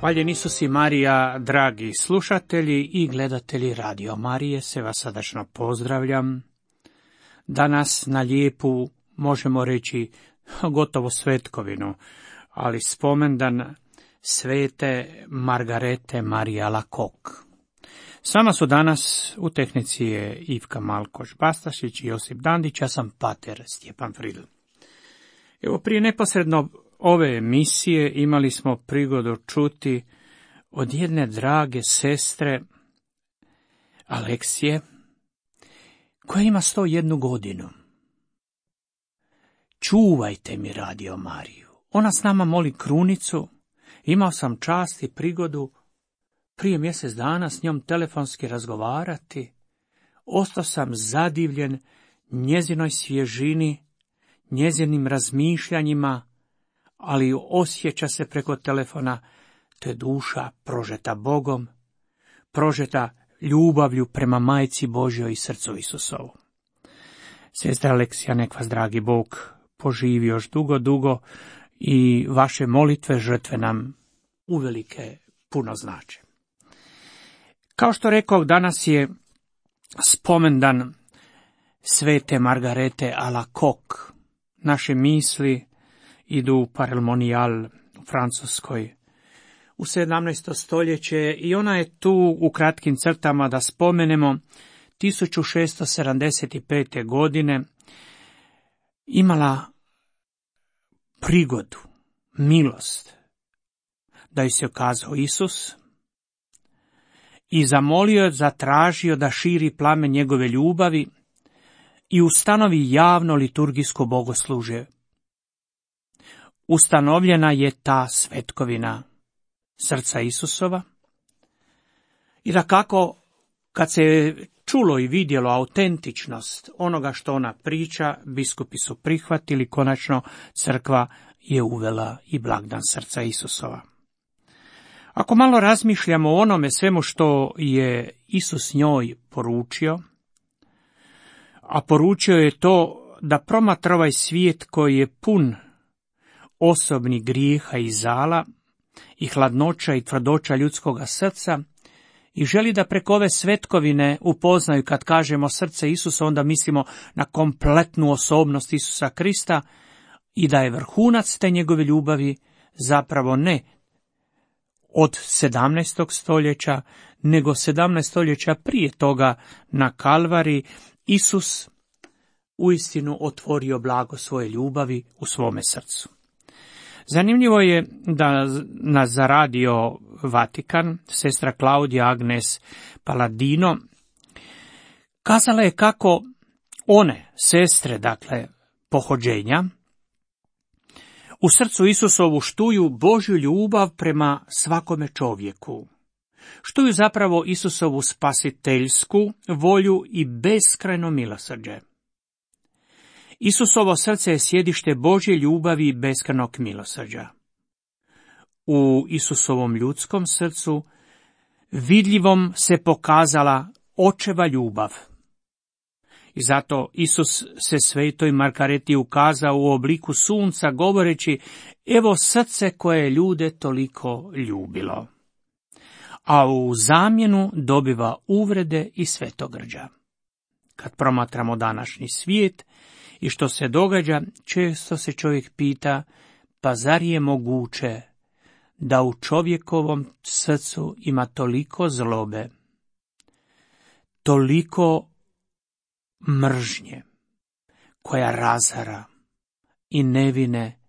Hvaljen Isus i Marija, dragi slušatelji i gledatelji Radio Marije, se vas srdačno pozdravljam. Danas na lijepu, možemo reći, gotovo svetkovinu, ali spomendan svete Margarete Marije Alacoque. S vama su danas u tehnici je Ivka Malkoš-Bastašić i Josip Dandić, ja sam pater Stjepan Fridl. Evo, prije neposredno ove emisije imali smo prigodu čuti od jedne drage sestre Aleksije, koja ima 101 godinu. Čuvajte mi Radio Mariju. Ona s nama moli krunicu. Imao sam čast i prigodu prije mjesec dana s njom telefonski razgovarati. Ostao sam zadivljen njezinoj svježini, njezinim razmišljanjima, ali osjeća se preko telefona, to je duša prožeta Bogom, prožeta ljubavlju prema Majci Božjoj i srcu Isusovu. Sestra Aleksija, nek vas dragi Bog poživi još dugo i vaše molitve, žrtve nam uvelike puno znače. Kao što rekao, danas je spomendan svete Margarete Alacoque. Naše misli idu u Parelmonijal u Francuskoj u 17. stoljeće i ona je tu u kratkim crtama da spomenemo 1675. godine imala prigodu, milost, da joj se ukazao Isus i zamolio, zatražio da širi plamen njegove ljubavi i ustanovi javno liturgijsko bogoslužje. Ustanovljena je ta svetkovina srca Isusova i dakako, kad se čulo i vidjelo autentičnost onoga što ona priča, biskupi su prihvatili, konačno crkva je uvela i blagdan srca Isusova. Ako malo razmišljamo o onome svemu što je Isus njoj poručio, a poručio je to da promatra ovaj svijet koji je pun osobnih grijeha i zala i hladnoća i tvrdoća ljudskoga srca i želi da preko ove svetkovine upoznaju, kad kažemo srce Isusa, onda mislimo na kompletnu osobnost Isusa Krista i da je vrhunac te njegove ljubavi zapravo ne od 17. stoljeća, nego 17 stoljeća prije toga na Kalvari Isus uistinu otvorio blago svoje ljubavi u svome srcu. Zanimljivo je da nas za Radio Vatikan sestra Klaudija Agnes Paladino kazala je kako one sestre, dakle pohođenja, u srcu Isusovu štuju Božju ljubav prema svakome čovjeku. Štuju zapravo Isusovu spasiteljsku volju i beskrajno milosrđe. Isusovo srce je sjedište Božje ljubavi i beskrajnog milosrđa. U Isusovom ljudskom srcu vidljivom se pokazala očeva ljubav. I zato Isus se svetoj Margareti ukazao u obliku sunca, govoreći: evo srce koje je ljude toliko ljubilo. A u zamjenu dobiva uvrede i svetogrđa. Kad promatramo današnji svijet i što se događa, često se čovjek pita, pa zar je moguće da u čovjekovom srcu ima toliko zlobe, toliko mržnje koja razara i nevine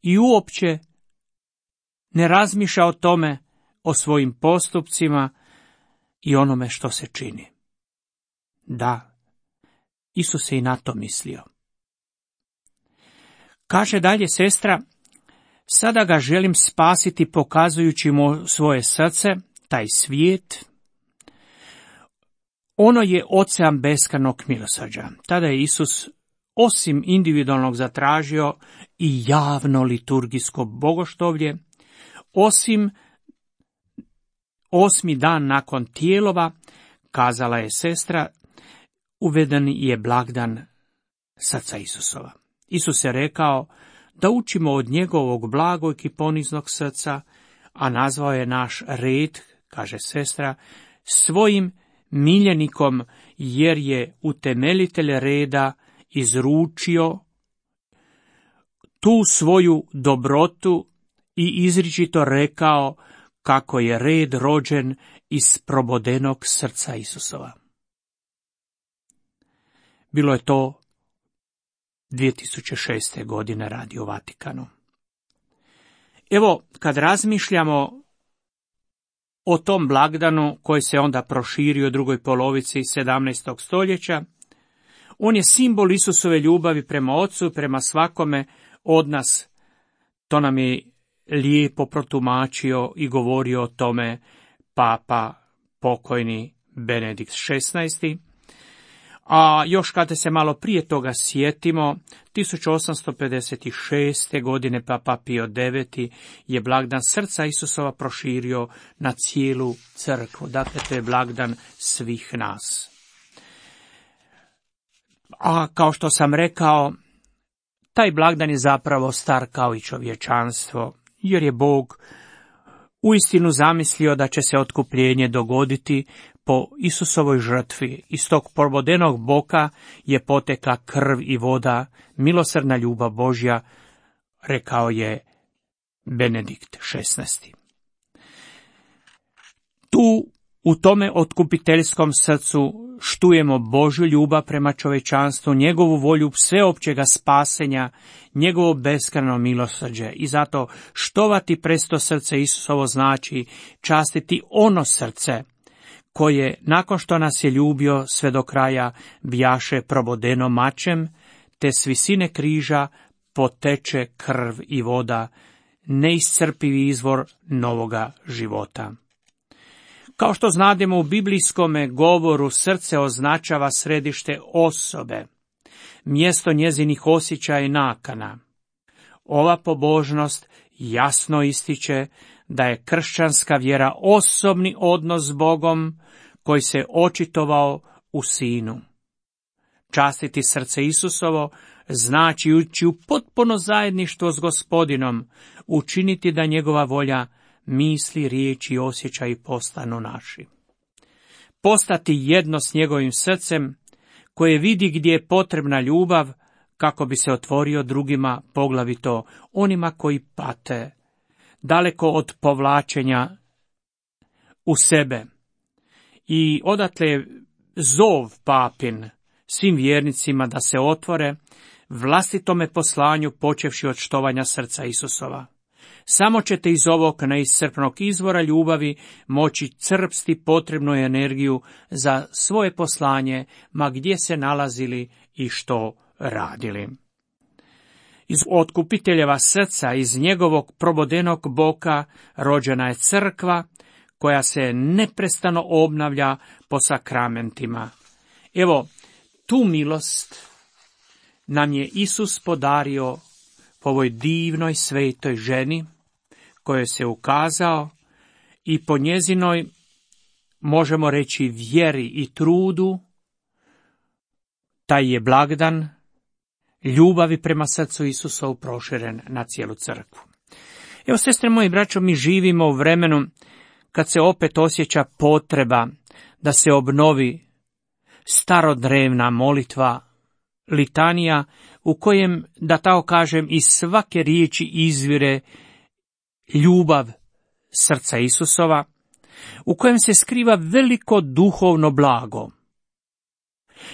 i uopće ne razmišlja o tome, o svojim postupcima i onome što se čini. Da, Isus je i na to mislio. Kaže dalje sestra: sada ga želim spasiti pokazujući mu svoje srce, taj svijet. Ono je ocean beskrajnog milosrđa. Tada je Isus osim individualnog zatražio i javno liturgijsko bogoštovlje, osim 8. dan nakon tijelova, kazala je sestra, uveden je blagdan srca Isusova. Isus je rekao da učimo od njegovog blagog i poniznog srca, a nazvao je naš red, kaže sestra, svojim miljenikom, jer je utemeljitelj reda izručio tu svoju dobrotu i izričito rekao kako je red rođen iz probodenog srca Isusova. Bilo je to 2006. godine Radio Vatikanu. Evo, kad razmišljamo o tom blagdanu koji se onda proširio u drugoj polovici 17. stoljeća, on je simbol Isusove ljubavi prema Ocu, prema svakome od nas. To nam je lijepo protumačio i govorio o tome papa pokojni Benedikt XVI. A još kada se malo prije toga sjetimo, 1856. godine papa Pio IX. Je blagdan srca Isusova proširio na cijelu crkvu. Dakle, to je blagdan svih nas. A kao što sam rekao, taj blagdan je zapravo star kao i čovječanstvo, jer je Bog uistinu zamislio da će se otkupljenje dogoditi po Isusovoj žrtvi. Iz tog probodenog boka je potekla krv i voda, milosrdna ljubav Božja, rekao je Benedikt XVI. Tu, u tome otkupiteljskom srcu, štujemo Božju ljubav prema čovječanstvu, njegovu volju sveopćega spasenja, njegovo beskrajno milosrđe. I zato štovati presto srce Isusovo znači častiti ono srce koje, nakon što nas je ljubio sve do kraja, bjaše probodeno mačem, te s visine križa poteče krv i voda, neiscrpivi izvor novoga života. Kao što znademo, u biblijskome govoru srce označava središte osobe, mjesto njezinih osjećaja i nakana. Ova pobožnost jasno ističe da je kršćanska vjera osobni odnos s Bogom koji se očitovao u Sinu. Častiti srce Isusovo znači ući u potpuno zajedništvo s Gospodinom, učiniti da njegova volja, misli, riječi i osjećaji postanu naši. Postati jedno s njegovim srcem, koje vidi gdje je potrebna ljubav, kako bi se otvorio drugima, poglavito onima koji pate, daleko od povlačenja u sebe. I odatle zov papin svim vjernicima da se otvore vlastitome poslanju, počevši od štovanja srca Isusova. Samo ćete iz ovog neiscrpnog izvora ljubavi moći crpsti potrebnu energiju za svoje poslanje, ma gdje se nalazili i što radili. Iz otkupiteljeva srca, iz njegovog probodenog boka, rođena je crkva, koja se neprestano obnavlja po sakramentima. Evo, tu milost nam je Isus podario po ovoj divnoj svetoj ženi, kojoj se ukazao, i po njezinoj, možemo reći, vjeri i trudu, taj je blagdan ljubavi prema srcu Isusovu proširen na cijelu crkvu. Evo, sestre moji, braćo, mi živimo u vremenu kad se opet osjeća potreba da se obnovi starodrevna molitva, litanija, u kojem, da tako kažem, iz svake riječi izvire ljubav srca Isusova, u kojem se skriva veliko duhovno blago.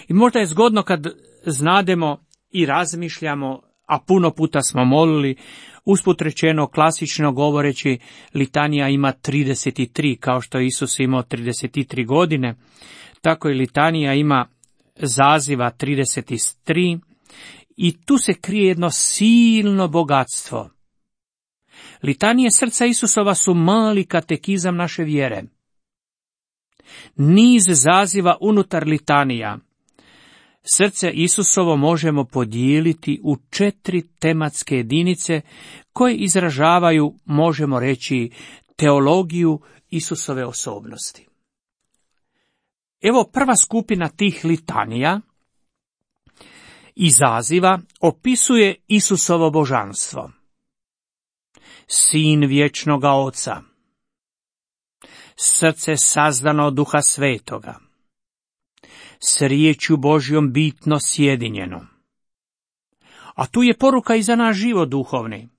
I možda je zgodno kad znademo i razmišljamo, a puno puta smo molili, usput rečeno, klasično govoreći, litanija ima 33, kao što je Isus imao 33 godine, tako i litanija ima zaziva 33, i tu se krije jedno silno bogatstvo. Litanije srca Isusova su mali katekizam naše vjere. Niz zaziva unutar litanija. Srce Isusovo možemo podijeliti u 4 tematske jedinice koje izražavaju, možemo reći, teologiju Isusove osobnosti. Evo, prva skupina tih litanija i zaziva opisuje Isusovo božanstvo. Sin vječnoga Oca, srce sazdano od Duha Svetoga, s riječju Božjom bitno sjedinjeno. A tu je poruka i za naš život duhovni.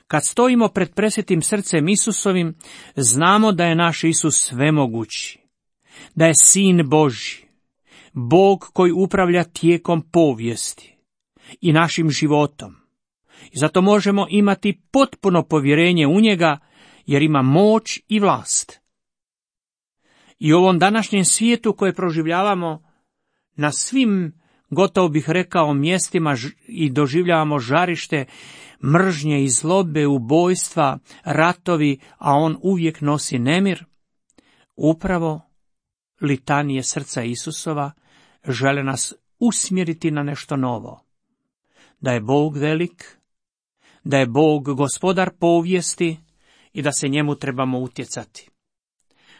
Kad stojimo pred presvetim srcem Isusovim, znamo da je naš Isus svemogući, da je Sin Božji, Bog koji upravlja tijekom povijesti i našim životom. I zato možemo imati potpuno povjerenje u njega, jer ima moć i vlast. I u ovom današnjem svijetu koje proživljavamo na svim, gotovo bih rekao, mjestima i doživljavamo žarište mržnje i zlobe, ubojstva, ratovi, a on uvijek nosi nemir, upravo litanije srca Isusova žele nas usmjeriti na nešto novo. Da je Bog velik, da je Bog gospodar povijesti i da se njemu trebamo utjecati.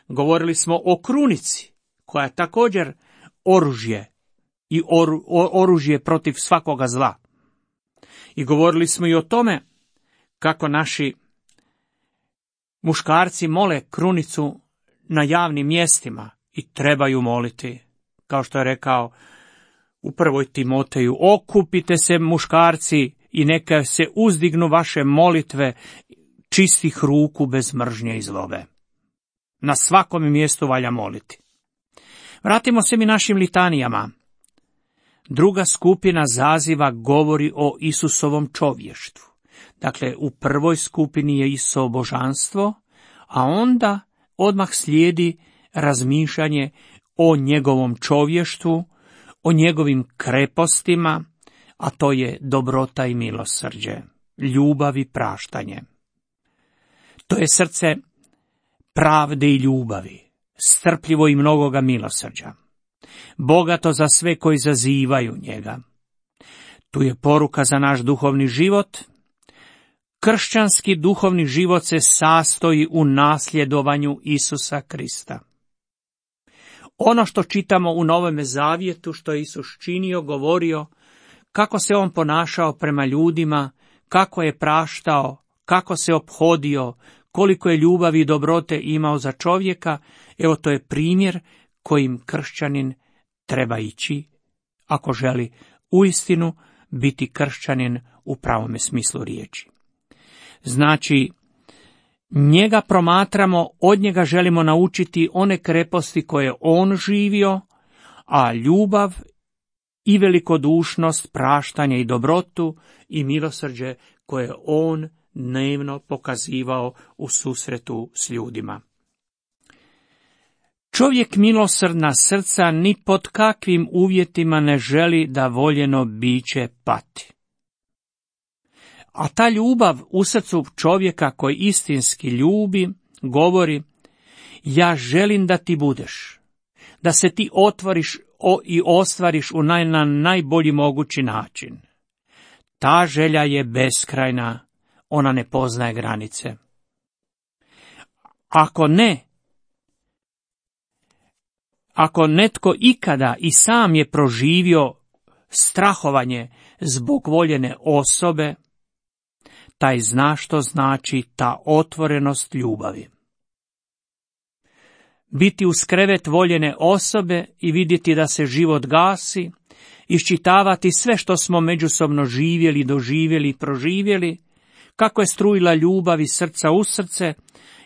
Govorili smo o krunici, koja je također oružje i oružje protiv svakoga zla. I govorili smo i o tome kako naši muškarci mole krunicu na javnim mjestima i trebaju moliti. Kao što je rekao u 1. Timoteju, okupite se muškarci i neka se uzdignu vaše molitve čistih ruku bez mržnje i zlobe. Na svakom mjestu valja moliti. Vratimo se mi našim litanijama. Druga skupina zaziva govori o Isusovom čovještvu. Dakle, u prvoj skupini je Isusovo božanstvo, a onda odmah slijedi razmišljanje o njegovom čovještvu, o njegovim krepostima, a to je dobrota i milosrđe, ljubav i praštanje. To je srce pravde i ljubavi, strpljivo i mnogoga milosrđa, bogato za sve koji zazivaju njega. Tu je poruka za naš duhovni život. Kršćanski duhovni život se sastoji u nasljedovanju Isusa Krista. Ono što čitamo u Novome Zavjetu, što je Isus činio, govorio, kako se on ponašao prema ljudima, kako je praštao, kako se ophodio, koliko je ljubavi i dobrote imao za čovjeka, evo to je primjer kojim kršćanin treba ići, ako želi uistinu biti kršćanin u pravome smislu riječi. Znači, njega promatramo, od njega želimo naučiti one kreposti koje on živio, a ljubav i velikodušnost, praštanje i dobrotu i milosrđe koje on dnevno pokazivao u susretu s ljudima. Čovjek milosrdna srca ni pod kakvim uvjetima ne želi da voljeno biće pati. A ta ljubav u srcu čovjeka koji istinski ljubi, govori, ja želim da ti budeš, da se ti otvoriš i ostvariš na najbolji mogući način. Ta želja je beskrajna, ona ne poznaje granice. Ako netko ikada i sam je proživio strahovanje zbog voljene osobe, taj zna što znači ta otvorenost ljubavi. Biti uz krevet voljene osobe i vidjeti da se život gasi, iščitavati sve što smo međusobno živjeli, doživjeli i proživjeli, kako je strujila ljubav iz srca u srce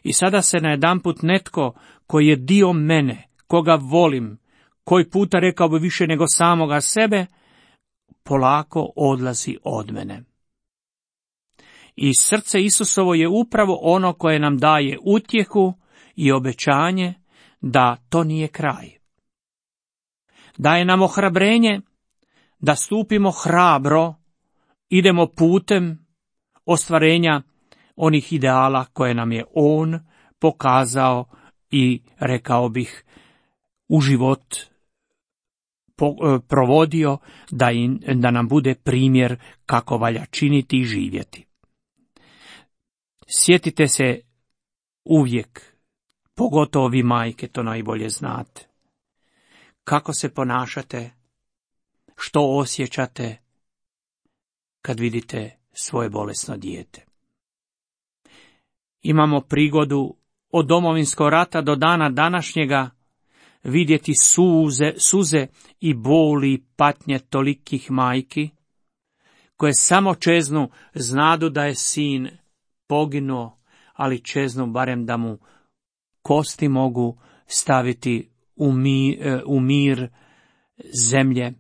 i sada se najedanput netko koji je dio mene, koga volim, koji puta rekao bi više nego samoga sebe, polako odlazi od mene. I srce Isusovo je upravo ono koje nam daje utjehu i obećanje da to nije kraj. Daje nam ohrabrenje da stupimo hrabro, idemo putem ostvarenja onih ideala koje nam je on pokazao i, rekao bih, u život provodio, da nam bude primjer kako valja činiti i živjeti. Sjetite se uvijek, pogotovo vi majke to najbolje znate, kako se ponašate, što osjećate kad vidite svoje bolesno dijete. Imamo prigodu od Domovinskog rata do dana današnjega vidjeti suze i boli i patnje tolikih majki, koje samo čeznu, znadu da je sin poginuo, ali čeznu barem da mu kosti mogu staviti u mir zemlje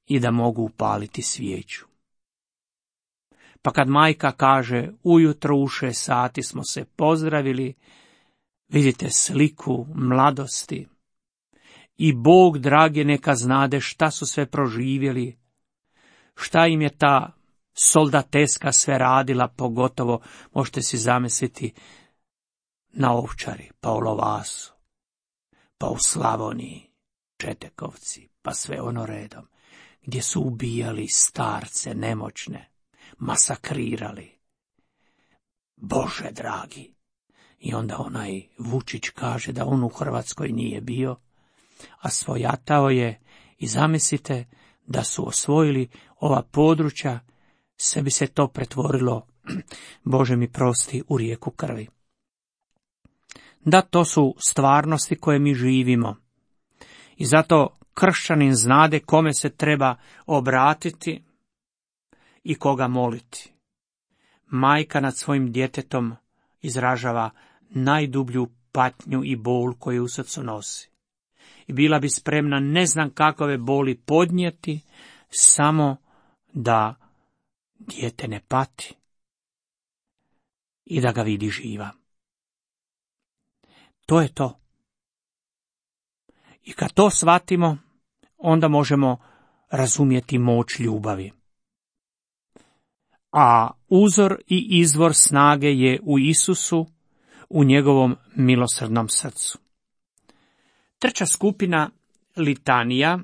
i da mogu upaliti svijeću. Pa kad majka kaže, ujutro u 6 sati smo se pozdravili, vidite sliku mladosti. I Bog, dragi, neka znade šta su sve proživjeli, šta im je ta soldateska sve radila, pogotovo možete si zamisliti na Ovčari, pa u Lovasu, pa u Slavoniji, Četekovci, pa sve ono redom, gdje su ubijali starce, nemoćne, masakrirali. Bože dragi! I onda onaj Vučić kaže da on u Hrvatskoj nije bio, a svojatao je, i zamislite da su osvojili ova područja, sve bi se to pretvorilo, Bože mi prosti, u rijeku krvi. Da, to su stvarnosti koje mi živimo. I zato kršćanin znade kome se treba obratiti i koga moliti. Majka nad svojim djetetom izražava najdublju patnju i bol koju u srcu nosi. I bila bi spremna ne znam kakove boli podnijeti, samo da dijete ne pati i da ga vidi živa. To je to. I kad to shvatimo, onda možemo razumjeti moć ljubavi. A uzor i izvor snage je u Isusu, u njegovom milosrdnom srcu. Treća skupina litanija,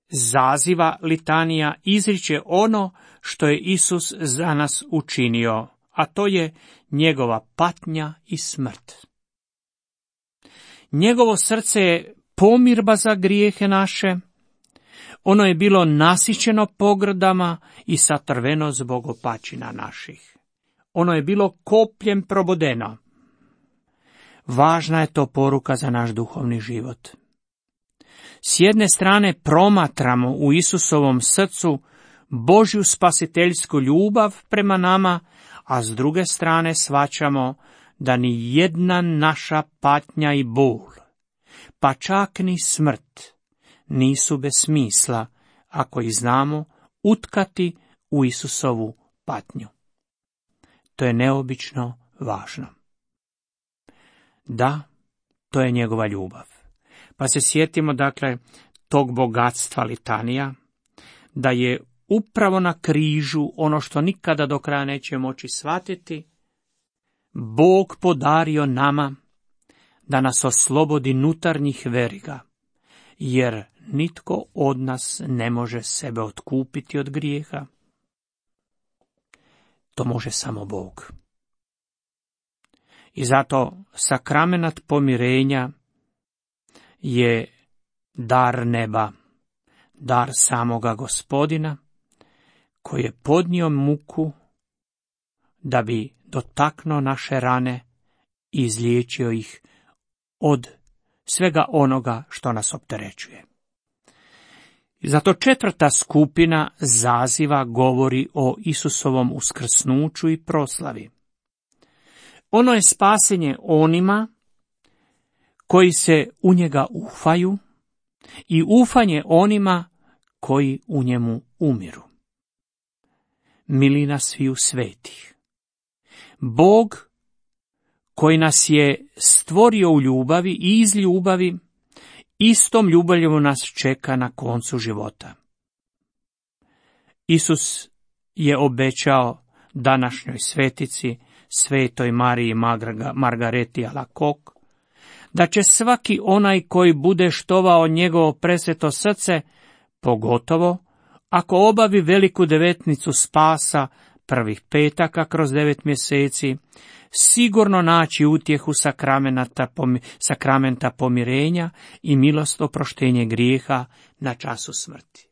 zaziva litanija, izriče ono što je Isus za nas učinio, a to je njegova patnja i smrt. Njegovo srce je pomirba za grijehe naše, ono je bilo nasićeno pogrdama i satrveno zbog opačina naših. Ono je bilo kopljem probodeno. Važna je to poruka za naš duhovni život. S jedne strane promatramo u Isusovom srcu Božju spasiteljsku ljubav prema nama, a s druge strane shvaćamo da ni jedna naša patnja i bol, pa čak ni smrt, nisu bez smisla ako ih znamo utkati u Isusovu patnju. To je neobično važno. Da, to je njegova ljubav. Pa se sjetimo, dakle, tog bogatstva litanija, da je upravo na križu ono što nikada do kraja neće moći shvatiti, Bog podario nama da nas oslobodi unutarnjih veriga, jer nitko od nas ne može sebe otkupiti od grijeha. To može samo Bog. I zato sakramenat pomirenja je dar neba, dar samoga Gospodina, koji je podnio muku da bi dotaknuo naše rane i izliječio ih od svega onoga što nas opterećuje. I zato četvrta skupina zaziva govori o Isusovom uskrsnuću i proslavi. Ono je spasenje onima koji se u njega ufaju i ufanje onima koji u njemu umiru. Milina sviju svetih. Bog koji nas je stvorio u ljubavi i iz ljubavi, istom ljubavlju nas čeka na koncu života. Isus je obećao današnjoj svetici, svetoj Mariji Margareti Alacoque, da će svaki onaj koji bude štovao njegovo presveto srce, pogotovo ako obavi veliku devetnicu spasa prvih petaka kroz 9 mjeseci, sigurno naći utjehu sakramenta pomirenja i milost oproštenje grijeha na času smrti.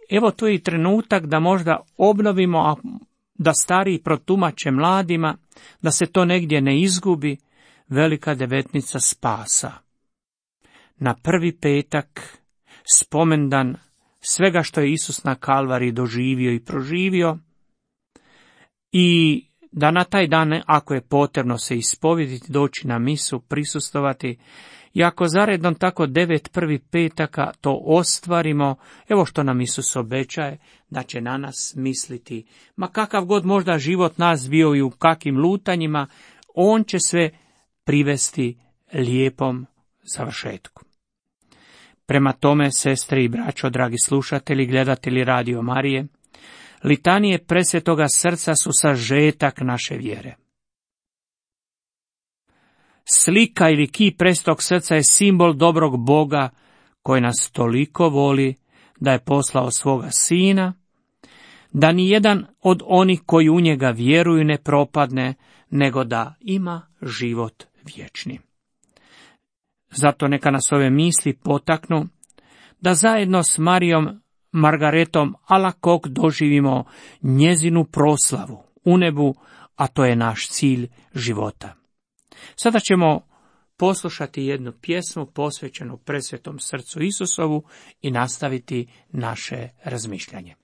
Evo tu je i trenutak da možda obnovimo, a da stariji protumače mladima, da se to negdje ne izgubi, velika devetnica spasa. Na prvi petak, spomendan svega što je Isus na Kalvariji doživio i proživio, i da na taj dan, ako je potrebno se ispovjediti, doći na misu, prisustovati, i ako zaredom tako 9 prvih petaka to ostvarimo, evo što nam Isus obećaje, da će na nas misliti, ma kakav god možda život nas bio i u kakvim lutanjima, on će sve privesti lijepom završetku. Prema tome, sestre i braćo, dragi slušatelji, gledatelji Radio Marije, litanije presvetoga srca su sažetak naše vjere. Slika ili kip presvetog srca je simbol dobrog Boga koji nas toliko voli da je poslao svoga sina, da ni jedan od onih koji u njega vjeruju ne propadne, nego da ima život vječni. Zato neka nas ove misli potaknu da zajedno s Marijom Margaretom Alacoque doživimo njezinu proslavu u nebu, a to je naš cilj života. Sada ćemo poslušati jednu pjesmu posvećenu presvetom srcu Isusovu i nastaviti naše razmišljanje.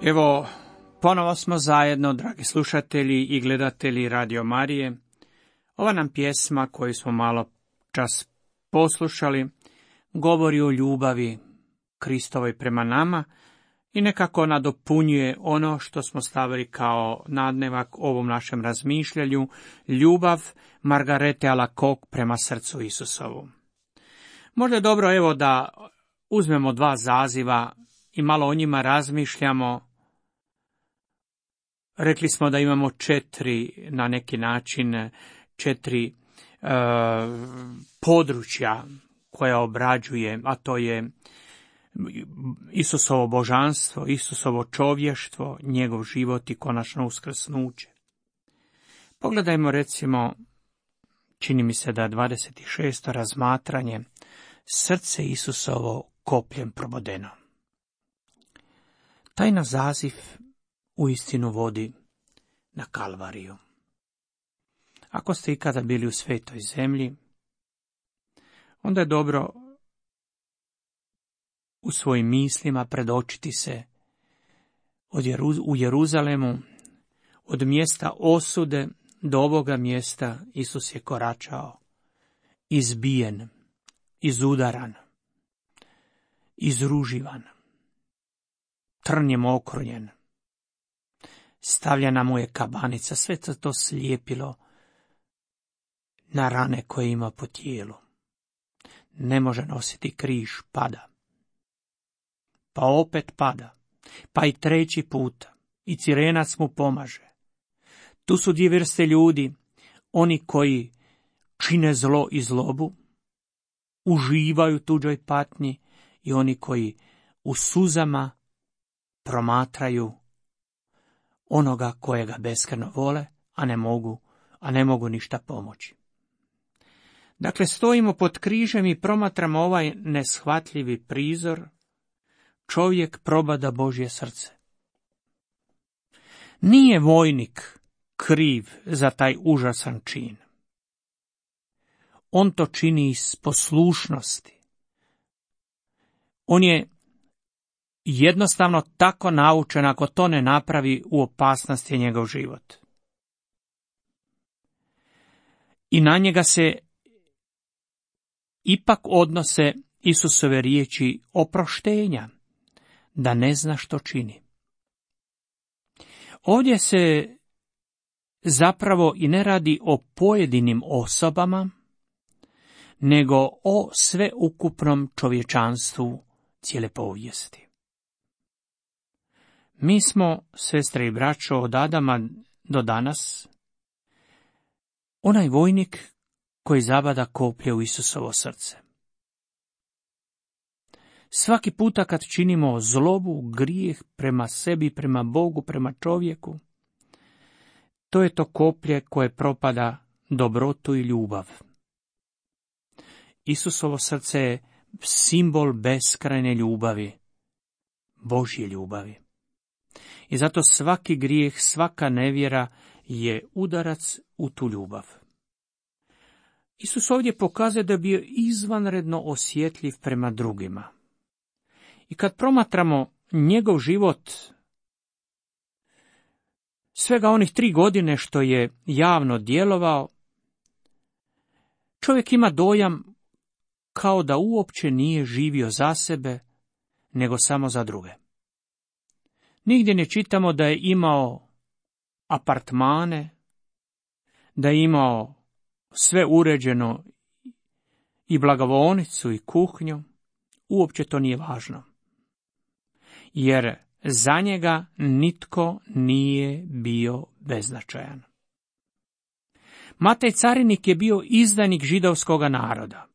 Evo, ponovo smo zajedno, dragi slušatelji i gledatelji Radio Marije. Ova nam pjesma koju smo malo čas poslušali govori o ljubavi Kristovoj prema nama i nekako nadopunjuje ono što smo stavili kao nadnevak ovom našem razmišljanju, ljubav Margarete Alacoque prema srcu Isusovu. Možda je dobro evo da uzmemo 2 zaziva i malo o njima razmišljamo. Rekli smo da imamo 4, na neki način, 4 područja koja obrađuje, a to je Isusovo božanstvo, Isusovo čovještvo, njegov život i konačno uskrsnuće. Pogledajmo recimo, čini mi se da 26. razmatranje, srce Isusovo kopljem probodeno. Taj naziv uistinu vodi na Kalvariju. Ako ste ikada bili u svetoj zemlji, onda je dobro u svojim mislima predočiti se u Jeruzalemu, od mjesta osude do ovoga mjesta Isus je koračao, izbijen, izudaran, izruživan, trnjem okrunjen. Stavljena mu je kabanica, sve to slijepilo na rane koje ima po tijelu. Ne može nositi križ, pada. Pa opet pada, pa i treći puta, i Cirenac mu pomaže. Tu su dvije vrste ljudi, oni koji čine zlo i zlobu, uživaju tuđoj patnji, i oni koji u suzama promatraju onoga kojega beskreno vole, a ne mogu ništa pomoći. Dakle, stojimo pod križem i promatramo ovaj neshvatljivi prizor. Čovjek probada Božje srce. Nije vojnik kriv za taj užasan čin. On to čini iz poslušnosti. On je jednostavno tako naučen, ako to ne napravi, u opasnosti je njegov život. I na njega se ipak odnose Isusove riječi oproštenja, da ne zna što čini. Ovdje se zapravo i ne radi o pojedinim osobama, nego o sveukupnom čovječanstvu cijele povijesti. Mi smo, sestre i braćo, od Adama do danas onaj vojnik koji zabada koplje u Isusovo srce. Svaki puta kad činimo zlobu, grijeh prema sebi, prema Bogu, prema čovjeku, to je to koplje koje propada dobrotu i ljubav. Isusovo srce je simbol beskrajne ljubavi, Božje ljubavi. I zato svaki grijeh, svaka nevjera je udarac u tu ljubav. Isus ovdje pokazuje da je bio izvanredno osjetljiv prema drugima. I kad promatramo njegov život, svega onih 3 godine što je javno djelovao, čovjek ima dojam kao da uopće nije živio za sebe, nego samo za druge. Nigdje ne čitamo da je imao apartmane, da je imao sve uređeno i blagovaonicu i kuhnju, uopće to nije važno. Jer za njega nitko nije bio beznačajan. Matej carinik je bio izdanik židovskoga naroda.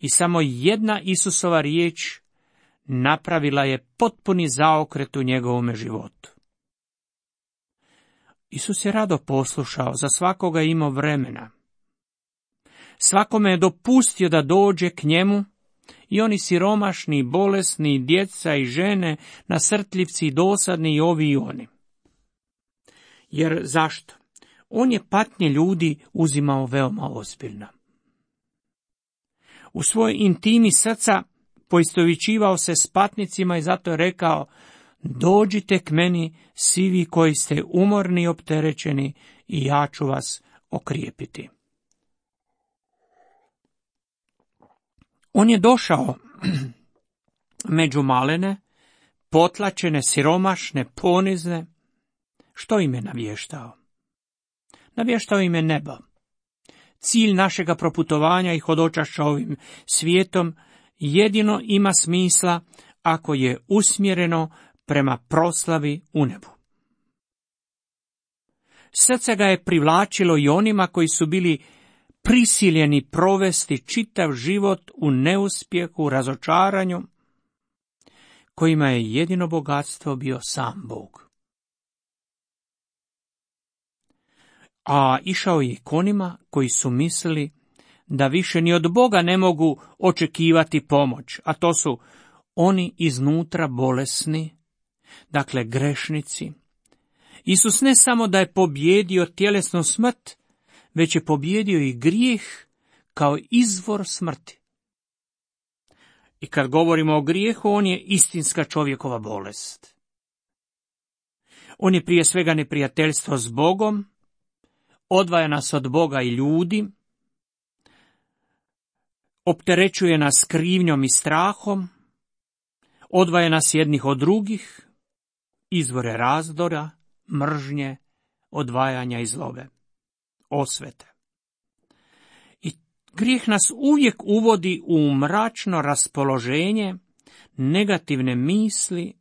I samo jedna Isusova riječ napravila je potpuni zaokret u njegovome životu. Isus je rado poslušao, za svakoga je imao vremena. Svakome je dopustio da dođe k njemu, i oni siromašni, bolesni, djeca i žene, nasrtljivci, dosadni i ovi i oni. Jer zašto? On je patnje ljudi uzimao veoma ozbiljno. U svojoj intimi srca poistovjećivao se s patnicima i zato je rekao: dođite k meni svi vi koji ste umorni i opterećeni, i ja ću vas okrijepiti. On je došao među malene, potlačene, siromašne, ponizne. Što im je navještao? Navještao im je nebo. Cilj našega proputovanja i hodočašća ovim svijetom jedino ima smisla ako je usmjereno prema proslavi u nebu. Srce ga je privlačilo i onima koji su bili prisiljeni provesti čitav život u neuspjehu, razočaranju, kojima je jedino bogatstvo bio sam Bog. A išao je k onima koji su mislili da više ni od Boga ne mogu očekivati pomoć, a to su oni iznutra bolesni, dakle grešnici. Isus ne samo da je pobjedio tjelesnu smrt, već je pobjedio i grijeh kao izvor smrti. I kad govorimo o grijehu, on je istinska čovjekova bolest. On je prije svega neprijateljstvo s Bogom, odvaja nas od Boga i ljudi, opterećuje nas krivnjom i strahom, odvaja nas jednih od drugih, izvore razdora, mržnje, odvajanja i zlobe, osvete. I grijeh nas uvijek uvodi u mračno raspoloženje, negativne misli,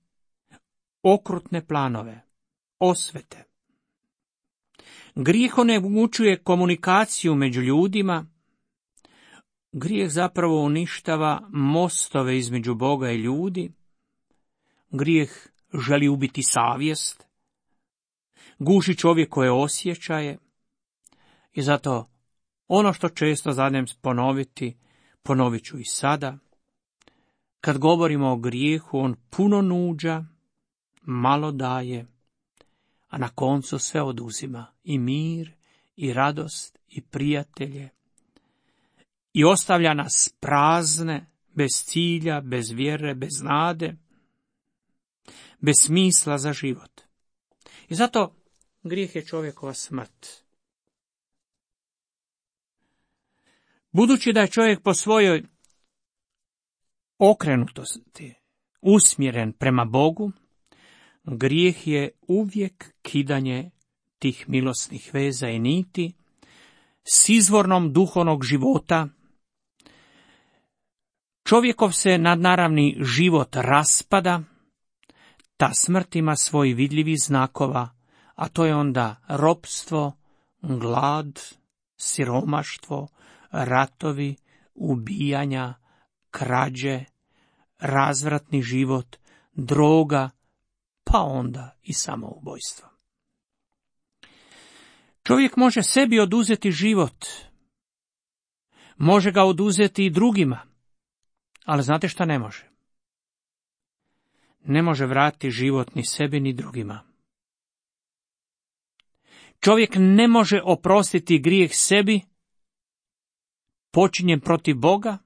okrutne planove, osvete. Grijeh onemogućuje komunikaciju među ljudima. Grijeh zapravo uništava mostove između Boga i ljudi. Grijeh želi ubiti savjest, guši čovjekove osjećaje. I zato ono što često zadem ponoviti, ponovit ću i sada. Kad govorimo o grijehu, on puno nuđa, malo daje, a na koncu sve oduzima, i mir, i radost, i prijatelje, i ostavlja nas prazne, bez cilja, bez vjere, bez nade, bez smisla za život. I zato grijeh je čovjekova smrt. Budući da je čovjek po svojoj okrenutosti usmjeren prema Bogu, grijeh je uvijek kidanje tih milosnih veza i niti s izvornom duhovnog života. Čovjekov se nadnaravni život raspada, ta smrt ima svoj vidljivi znakova, a to je onda ropstvo, glad, siromaštvo, ratovi, ubijanja, krađe, razvratni život, droga, pa onda i samoubojstvo. Čovjek može sebi oduzeti život, može ga oduzeti i drugima, ali znate šta ne može? Ne može vratiti život ni sebi ni drugima. Čovjek ne može oprostiti grijeh sebi, počinjen protiv Boga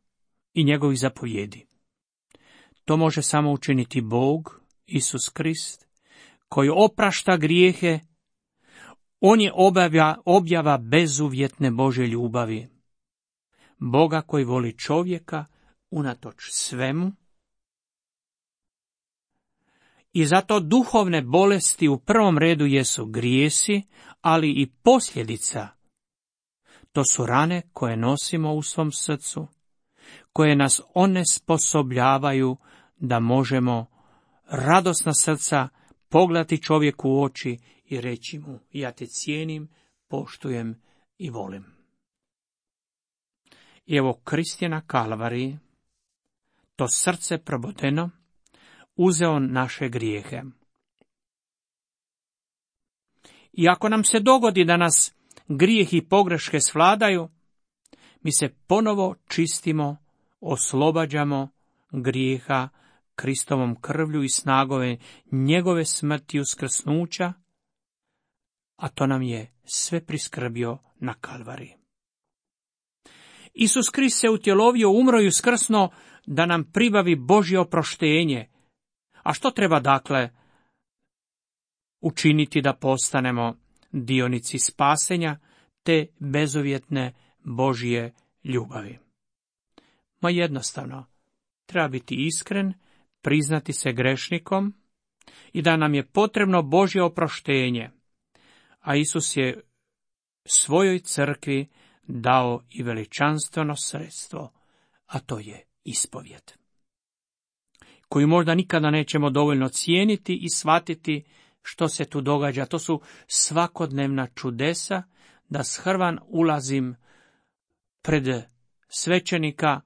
i njegovih zapovjedi. To može samo učiniti Bog, Isus Krist, koji oprašta grijehe. On je objava bezuvjetne Božje ljubavi. Boga koji voli čovjeka unatoč svemu. I zato duhovne bolesti u prvom redu jesu grijesi, ali i posljedica. To su rane koje nosimo u svom srcu, koje nas onesposobljavaju da možemo radosna srca pogledati čovjeku u oči i reći mu: ja te cijenim, poštujem i volim. I evo Krist je na Kalvariji, to srce probodeno, uzeo naše grijehe. I ako nam se dogodi da nas grijeh i pogreške svladaju, mi se ponovo čistimo, oslobađamo grijeha Kristovom krvlju i snagove njegove smrti uskrsnuća, a to nam je sve priskrbio na Kalvariji. Isus Krist se utjelovio, umro i uskrsno da nam pribavi Božje oproštenje. A što treba dakle učiniti da postanemo dionici spasenja te bezuvjetne Božje ljubavi? Ma jednostavno, treba biti iskren, priznati se grešnikom i da nam je potrebno Božje oproštenje. A Isus je svojoj crkvi dao i veličanstveno sredstvo, a to je ispovijed, koju možda nikada nećemo dovoljno cijeniti i shvatiti što se tu događa. To su svakodnevna čudesa, da shrvan ulazim pred svećenika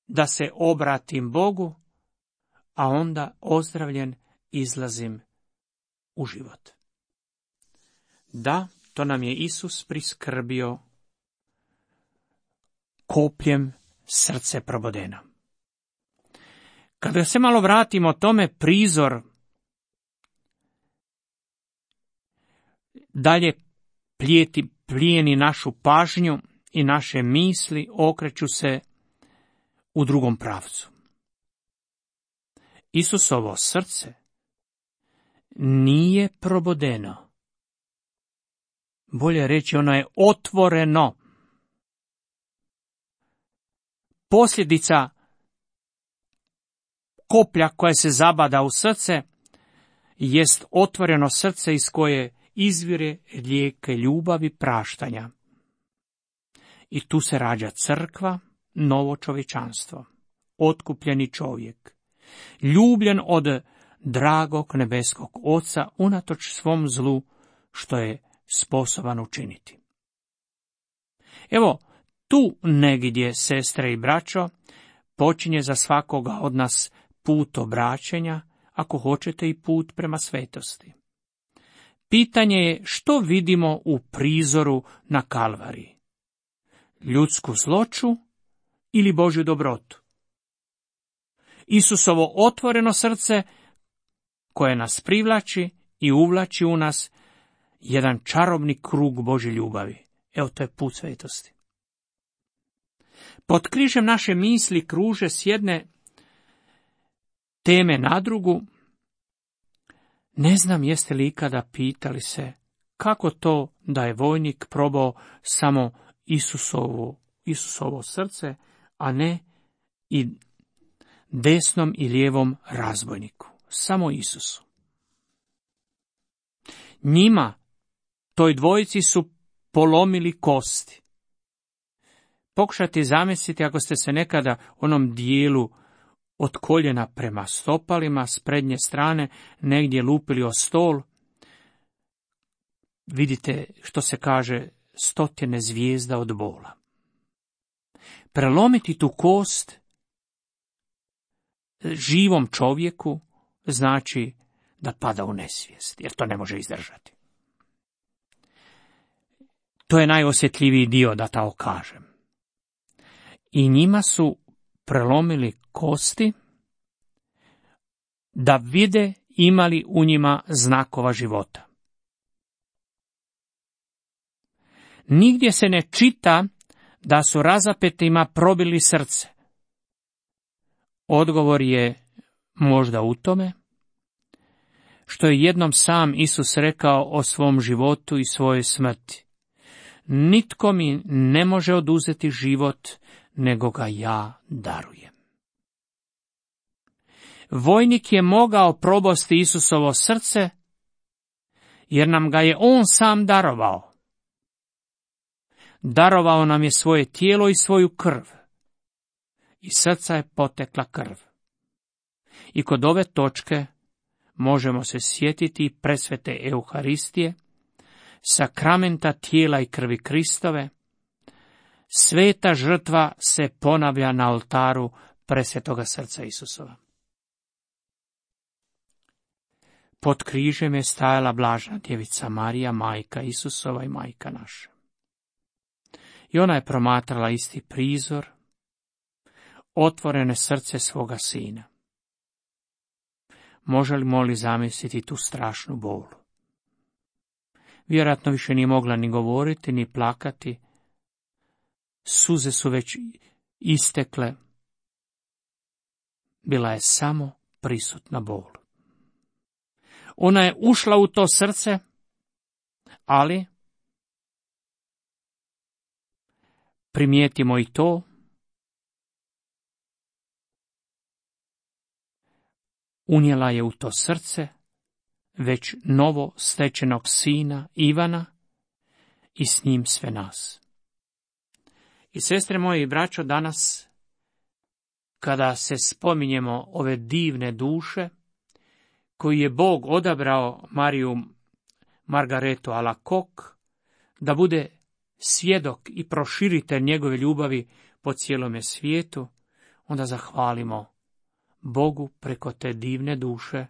da se obratim Bogu, a onda ozdravljen izlazim u život. Da, to nam je Isus priskrbio kopljem srce probodeno. Kada se malo vratimo tome, prizor dalje plijeni našu pažnju i naše misli okreću se u drugom pravcu. Isusovo srce nije probodeno. Bolje reći, ono je otvoreno. Posljedica koplja koja se zabada u srce jest otvoreno srce iz koje izvire rijeke ljubavi praštanja. I tu se rađa crkva, novo čovječanstvo, otkupljeni čovjek, ljubljen od dragog nebeskog Oca unatoč svom zlu što je sposoban učiniti. Evo, tu negdje, sestre i braćo, počinje za svakoga od nas put obraćanja, ako hoćete i put prema svetosti. Pitanje je što vidimo u prizoru na Kalvariji. Ljudsku zloću ili Božju dobrotu? Isusovo otvoreno srce koje nas privlači i uvlači u nas jedan čarobni krug Božje ljubavi. Evo, to je put svetosti. Pod križem naše misli kruže s jedne teme na drugu. Ne znam jeste li ikada pitali se kako to da je vojnik probao samo Isusovo srce, a ne i desnom i lijevom razbojniku. Samo Isusu. Njima, toj dvojici, su polomili kosti. Pokušajte zamisliti ako ste se nekada u onom dijelu od koljena prema stopalima s prednje strane negdje lupili o stol. Vidite što se kaže 100 zvijezda od bola. Prelomiti tu kost živom čovjeku znači da pada u nesvijest, jer to ne može izdržati. To je najosjetljiviji dio, da tako kažem. I njima su prelomili kosti da vide imali u njima znakova života. Nigdje se ne čita da su razapetima probili srce. Odgovor je možda u tome što je jednom sam Isus rekao o svom životu i svojoj smrti. Nitko mi ne može oduzeti život, nego ga ja darujem. Vojnik je mogao probosti Isusovo srce, jer nam ga je on sam darovao. Darovao nam je svoje tijelo i svoju krv. Iz srca je potekla krv. I kod ove točke možemo se sjetiti presvete Euharistije, sakramenta tijela i krvi Kristove. Sveta žrtva se ponavlja na oltaru presvetoga srca Isusova. Pod križem je stajala blažena djevica Marija, majka Isusova i majka naša. I ona je promatrala isti prizor, otvorene srce svoga sina. Možemo li zamisliti tu strašnu bolu? Vjerojatno više nije mogla ni govoriti, ni plakati. Suze su već istekle. Bila je samo prisutna bol. Ona je ušla u to srce, ali primijetimo i to, unijela je u to srce već novo stečenog sina Ivana i s njim sve nas. I sestre moje i braćo, danas kada se spominjemo ove divne duše koju je Bog odabrao Mariju Margaretu Alacoque da bude svjedok i proširitelj njegove ljubavi po cijelome svijetu, onda zahvalimo Bogu preko te divne duše,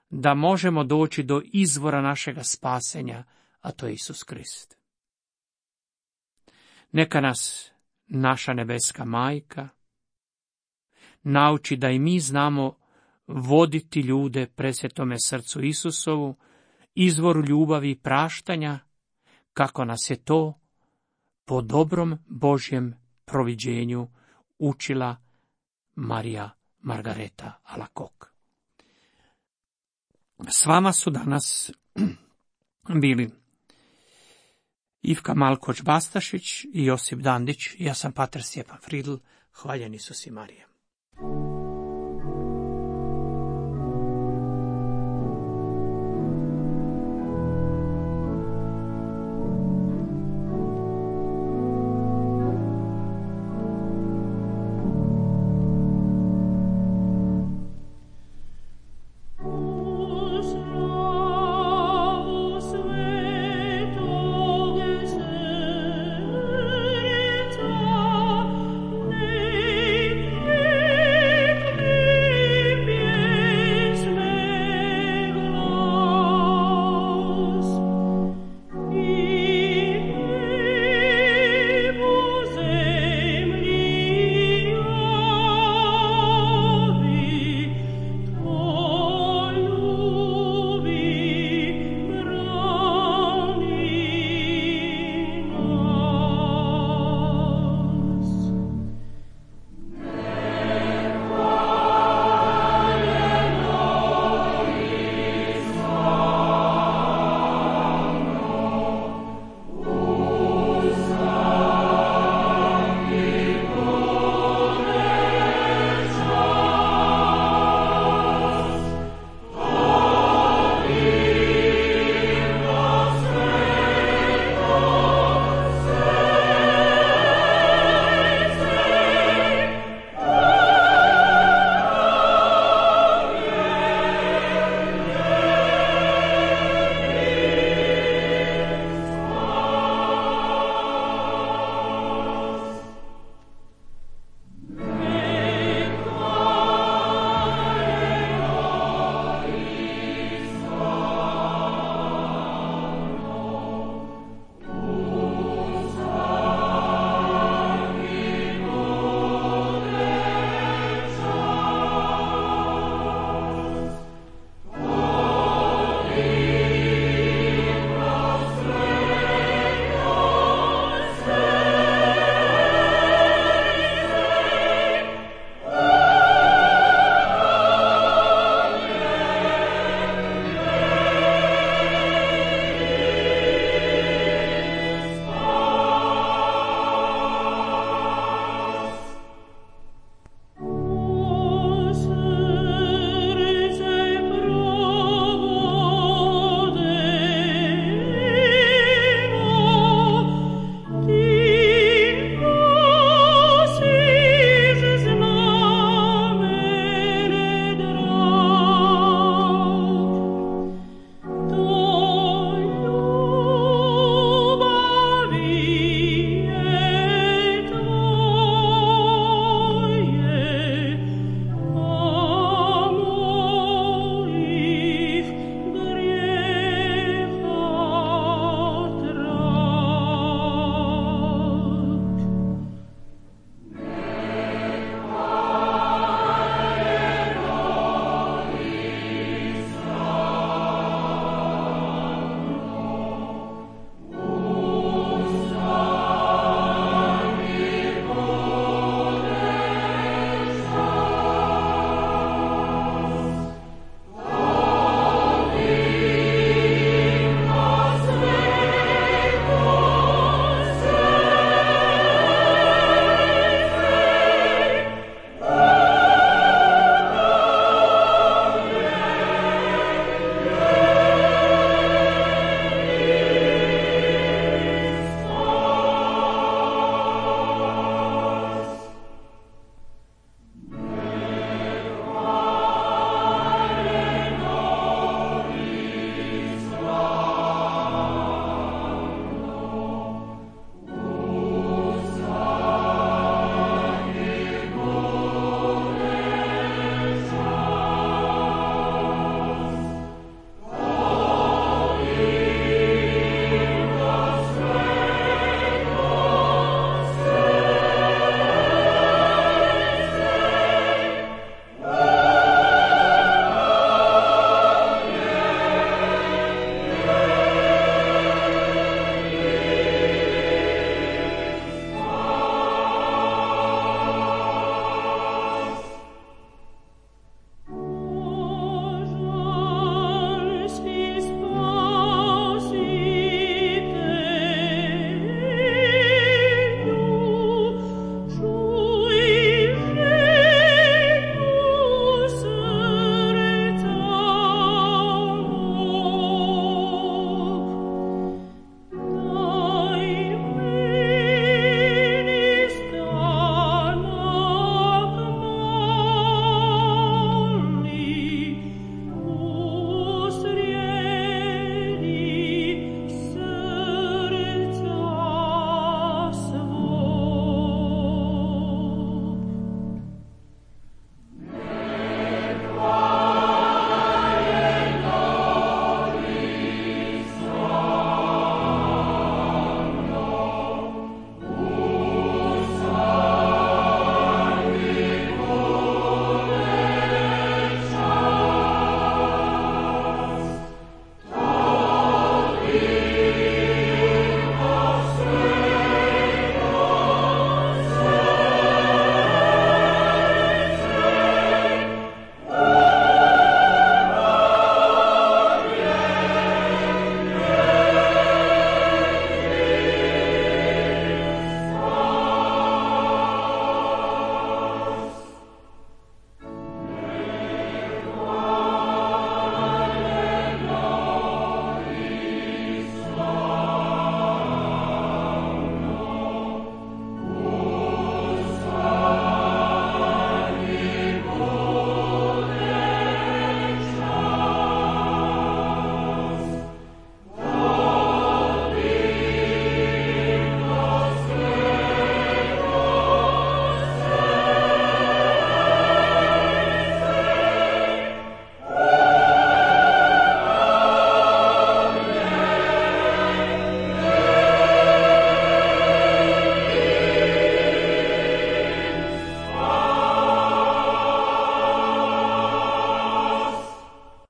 da možemo doći do izvora našega spasenja, a to je Isus Krist. Neka nas naša nebeska majka nauči da i mi znamo voditi ljude presvetome srcu Isusovu, izvoru ljubavi i praštanja, kako nas je to po dobrom Božjem proviđenju učila Marija Margareta Alacoque. S vama su danas bili Ivka Malkoć-Bastašić i Josip Dandić. Ja sam pater Stjepan Fridl. Hvaljen Isus i Marija.